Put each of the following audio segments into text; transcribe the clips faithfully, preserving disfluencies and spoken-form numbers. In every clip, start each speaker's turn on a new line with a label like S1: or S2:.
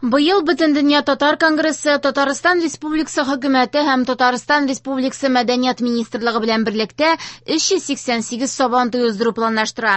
S1: Быел Бөтендөнья татар конгрессы Татарстан Республикасы хөкүмәте һәм Татарстан Республикасы Мәдәният министрлыгы белән берлектә өч йөз сиксән сигез Сабантуй уздыру планлаштыра.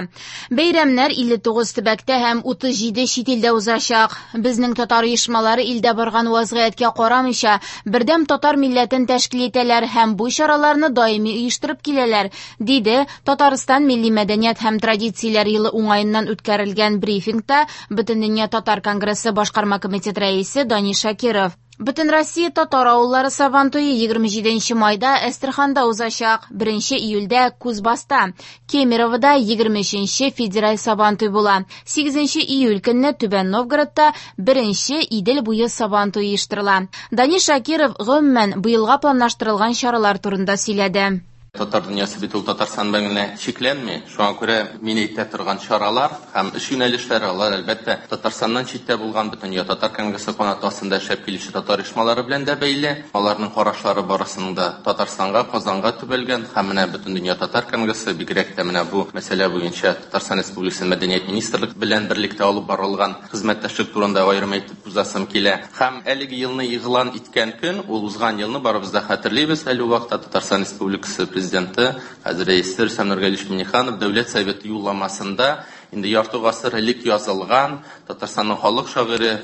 S1: Бәйрәмнәр илле тугыз төбәктә һәм утыз җиде чит илдә узачак. Безнең татар оешмалары илдә барган вазгыятькә карамыйча, бердәм татар милләтен тәшкил итәләр һәм бу чараларны даими оештырып киләләр, диде Татарстан Милли мәдәният һәм традицияләр елы уңаеннан үткәрелгән брифингта Бөтендөнья татар конгрессы башкарма комитеты рәисе Данис Шакиров. Бөтен Россия татар авыллары Сабантуе егерме җиденче майда Әстерханда узачак, беренче июльдә Кузбасста, Кемеровода егерме өченче федераль Сабантуй була. Сигезенче июль көнне Түбән Новгородта беренче Идел буе Сабантуй оештырыла. Данис Шакиров гомумән быелга планлаштырылган чаралар турында сөйләде.
S2: Татар дөньясы бит ул Татарстан белән генә чикләнми. Шуңа күрә мин әйтә торган чаралар һәм эш юнәлешләре алар әлбәттә Татарстаннан читтә булган Бөтендөнья татар конгрессы канаты астында эшләп килүче татар оешмалары белән дә бәйле. Аларның карашлары барысының да Татарстанга, Казанга төбәлгән һәм менә Бөтендөнья татар конгрессы бигрәк тә менә бу мәсьәлә буенча Татарстан Республикасы Мәдәният министрлыгы белән берлектә алып барылган хезмәттәшлек турында аерым әйтеп узасым килә. Һәм әлеге елны игълан иткән көн, ул узган елны барыбыз да хәтерлибез, әле ул вакытта Татарстан Республикасы Президенты хәзер рәисе Рөстәм Нургалиевич Миңнеханов Дәүләт Советы юлламасында инде ярты гасыр элек язылган Татарстанның халык шагыйре,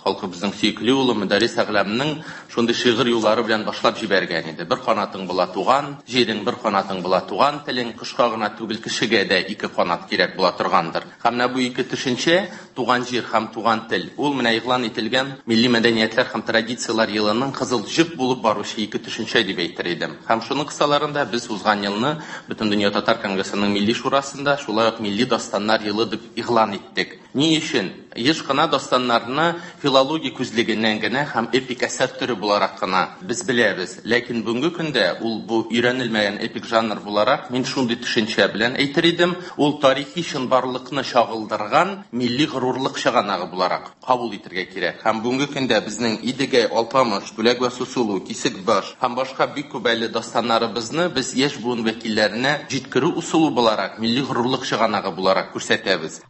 S2: халкыбызның сөекле улы Мөдәррис Әгъләмнең шундый шигырь юллары белән башлап җибәргән иде. Бер канатың була туган җирең, бер канатың була туган телең, кошка гына түгел кешегә дә ике канат кирәк була торгандыр. Һәм менә бу ике төшенчә, туган җир һәм туган тел, ул менә игълан ителгән милли мәдәниятләр һәм традицияләр елының кызыл җеп булып баручы ике төшенчә дип әйтер идем. Һәм шуның кысаларында без узган елны Бөтендөнья татар конгрессының милли шурасында шулай ук милли дастаннар елы дип игълан иттек. Ни өчен? Еш кына дастаннарны филология күзлегеннән генә һәм эпик әсәр төре буларак кына без беләбез. Ләкин бүгенге көндә ул бу өйрәнелмәгән эпик жанр буларак мин шундый төшенчә белән әйтер идем, ул тарихи чынбарлыкны чагылдырган милли горурлык чыганагы буларак кабул итәргә кирәк. Һәм бүгенге көндә безнең Идегәй, Алпамыш, Түләк вә Сусылу, Кисекбаш һәм башка бик күп әле дастаннарыбызны без яшь буын вәкилләренә җиткерү ысулы буларак, милли горурлык чыганагы буларак күрсәтәбез.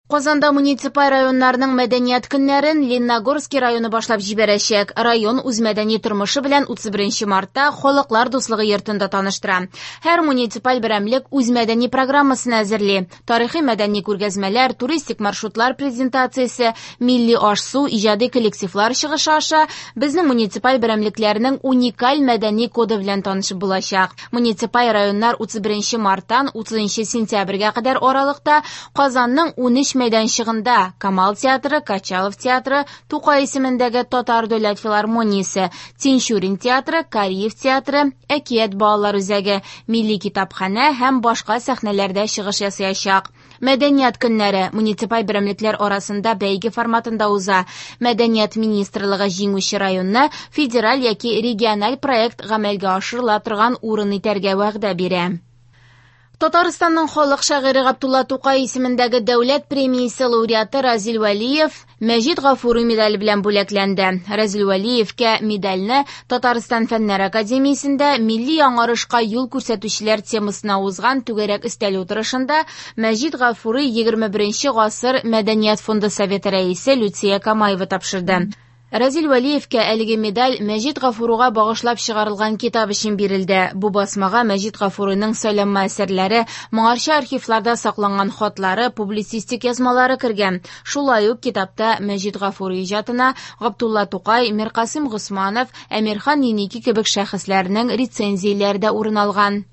S1: Казанда муниципаль районнарның мәдәният көннәрен Лениногорский районы башлап җибәрәчәк. Район үз мәдәни тормышы белән утыз беренче мартта Халыклар дуслыгы йортында таныштыра. Һәр муниципаль берәмлек үз мәдәни программасын әзерли. Тарихи мәдәни күргәзмәләр, туристик маршрутлар презентациясе, милли аш-су, иҗади коллективлар чыгышы аша безнең муниципаль берәмлекләрнең уникаль мәдәни коды белән танышып булачак. Муниципаль районнар утыз беренче марттан утызынчы сентябрьгә кадәр аралыкта Казанның унөч мәйданчыгында Камал театры, Качалов театры, Тукай исемендәге Татар дәүләт филармониясе, Тинчурин театры, Кариев театры, Әкият балалар үзәге, Милли китапханә һәм башка сәхнәләрдә чыгыш ясаячак. Мәдәният көннәре муниципаль берәмлекләр арасында бәйге форматында уза. Мәдәният министрлыгы җиңүче районны федераль яки региональ проект гамәлгә ашырыла торган урын итәргә вәгъдә бирә. Татарстанның халык шагыйре Габдулла Тукай исемендәге дәүләт премиясе лауреаты Разил Вәлиев Мәҗит Гафури медале белән бүләкләнде. Разил Вәлиевкә медальне Татарстан Фәннәр академиясендә милли яңарышка юл күрсәтүчеләр темасына узган түгәрәк өстәл утырышында Мәҗит Гафури егерме беренче гасыр Мәдәният фонды советы рәисе Люция Камаева тапшырды. Разил Вәлиевкә әлеге медаль Мәҗит Гафурига багышлап чыгарылган китап өчен бирелде. Бу басмага Мәҗит Гафуриның сайланма әсәрләре, моңарчы архивларда сакланган хатлары, публицистик язмалары кергән. Шулай ук китапта Мәҗит Гафури иҗатына Габдулла Тукай, Миркасыйм Госманов, Әмирхан Еники кебек шәхесләрнең рецензияләре дә урын алган.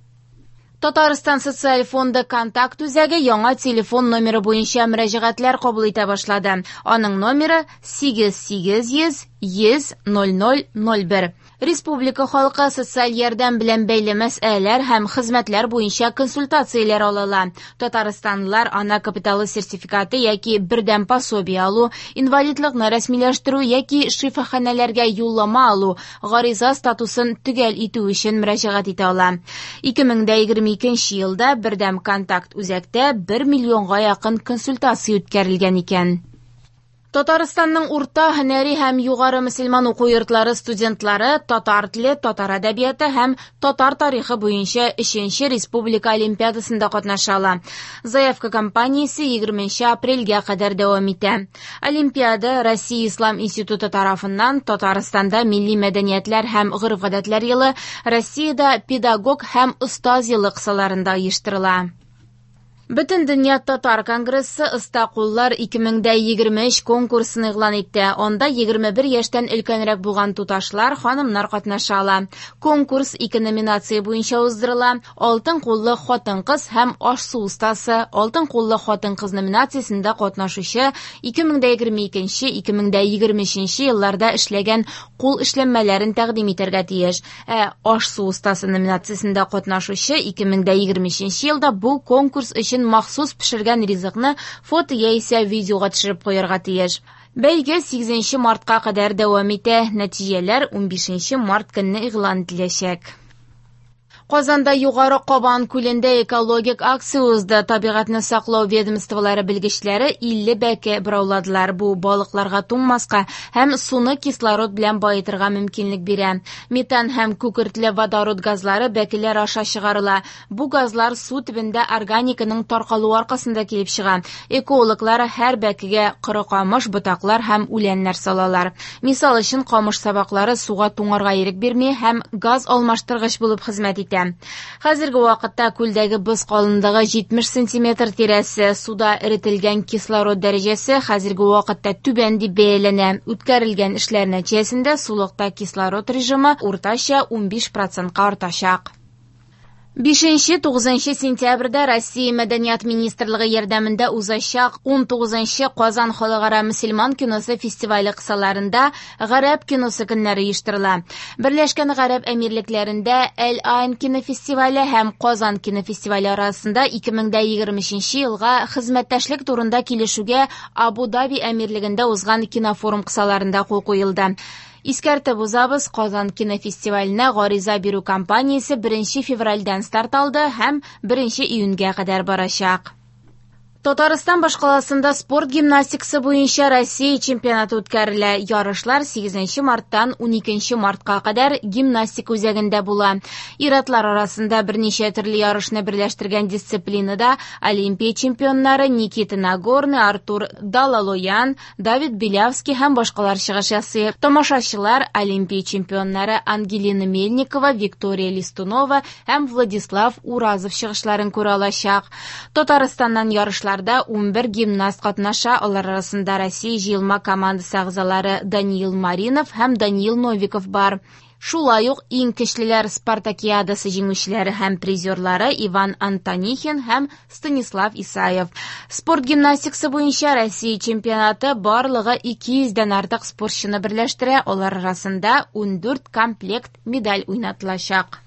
S1: Татарстан Социаль фонды контакт үзәге яңа телефон номеры буенча мөрәҗәгатьләр кабул итә башлады. Аның номеры сигез сигез йөз йөз ноль ноль ноль бер. Республика халкы социаль ярдәм белән бәйле мәсьәләләр һәм хезмәтләр буенча консультацияләр ала ала. Татарстанлылар ана капиталы сертификаты яки бердәм пособие алу, инвалидлыкны рәсмиләштерү яки шифаханәләргә юллама алу, гариза статусын төгәл итү өчен мөрәҗәгать итә ала. Ике мең дә егерме икенче елда бердәм контакт үзәктә бер миллионга якын консультация үткәрелгән икән. Татарстанның урта һөнәри һәм югары мөселман уку йортлары студентлары татар теле, татар әдәбияты һәм татар тарихы буенча өченче республика олимпиадасында катнаша ала. Заявка кампаниясе егерменче апрельгә кадәр дәвам итә. Олимпиада Россия Ислам институты тарафыннан Татарстанда милли мәдәниятләр һәм гореф-гадәтләр елы, Россиядә педагог һәм остаз елы кысаларында оештырыла. Бөтендөнья татар конгрессы «Оста куллар ике мең дә егерме өч» конкурсын игълан итте. Анда егерме бер яшьтән өлкәнрәк булган туташлар, ханымнар катнаша ала. Конкурс ике номинация буенча уздырыла. Алтын куллы хатын-кыз һәм аш-су остасы. Алтын куллы хатын-кыз номинациясендә катнашучы ике мең дә егерме икенче, ике мең дә егерме өченче елларда эшләгән кул эшләнмәләрен тәкъдим итәргә тиеш. Ә аш-су остасы номинациясендә катнашучы ике мең дә егерме өченче елда бу конкурс өчен махсус пешергән ризыкны фото яисә видеога төшереп куярга тиеш. Бәйге сигезенче мартка кадәр дәвам итә. Нәтиҗәләр унбишенче март көнне игълан ителәчәк. Казанда Югары Кабан күлендә экологик акция узды. Табигатьне саклау ведомстволары белгечләре илле бәке борауладылар. Бу балыкларга туңмаска һәм суны кислород белән баетырга мөмкинлек бирә. Метан һәм күкертле водород газлары бәкеләр аша чыгарыла. Бу газлар су төбендә органиканың таркалуы аркасында килеп чыга. Экологлар һәр бәкегә коры камыш, ботаклар һәм үләннәр салалар. Мисал өчен, камыш сабаклары суга туңарга ирек бирми һәм газ алмаштыргыч булып хезмәт итә. Хәзерге вакытта күлдәге боз калынлыгы җитмеш сантиметр тирәсе, суда эретелгән кислород дәрәҗәсе хәзерге вакытта түбән дип бәяләнә. Үткәрелгән эшләр нәтиҗәсендә сулыкта кислород режимы уртача унбиш процентка артачак. Бишенче, тугызынчы сентябрьдә Россия Мәдәният министрлыгы ярдәмендә узачак ун тугызынчы Казан халыкара мөселман киносы фестивале кысаларында Гарәп киносы көннәре оештырыла. Берләшкән Гарәп Әмирлекләрендә Әл-Айн кинофестивале һәм Казан кинофестивале арасында ике мең дә егерме өченче елга хезмәттәшлек турында килешүгә Абу-Даби Әмирлегендә узган кинофорум кысаларында кул куелды. Искәртеп узабыз, Казан кинофестиваленә гариза бирү кампаниясе беренче февральдән старт алды һәм беренче июньгә кадәр барачак. Татарстан башкаласында спорт гимнастикасы буенча Россия чемпионаты үткәрелә. Ярышлар сигезенче марттан уникенче мартка кадәр гимнастика үзәгендә була. Ир-атлар арасында берничә төрле ярышны берләштергән дисциплинада Олимпия чемпионнары Никита Нагорный, Артур Далалоян, Давид Белявский һәм башкалар чыгыш ясый. Тамашачылар Олимпия чемпионнары Ангелина Мельникова, Виктория Листунова һәм Владислав Уразов чыгышларын күрә алачак. Татарстаннан ярышлар унбер гимнаст катнаша, алар арасында Россия җыелма командасы әгъзалары Даниил Маринов һәм Даниил Новиков бар. Шулай ук иң көчлеләр Спартакиадасы җиңүчеләре һәм призерлары Иван Антонихин һәм Станислав Исаев. Спорт гимнастикасы буенча Россия чемпионаты барлыгы ике йөздән артык спортчыны берләштерә, алар арасында ундүрт комплект медаль уйнатылачак.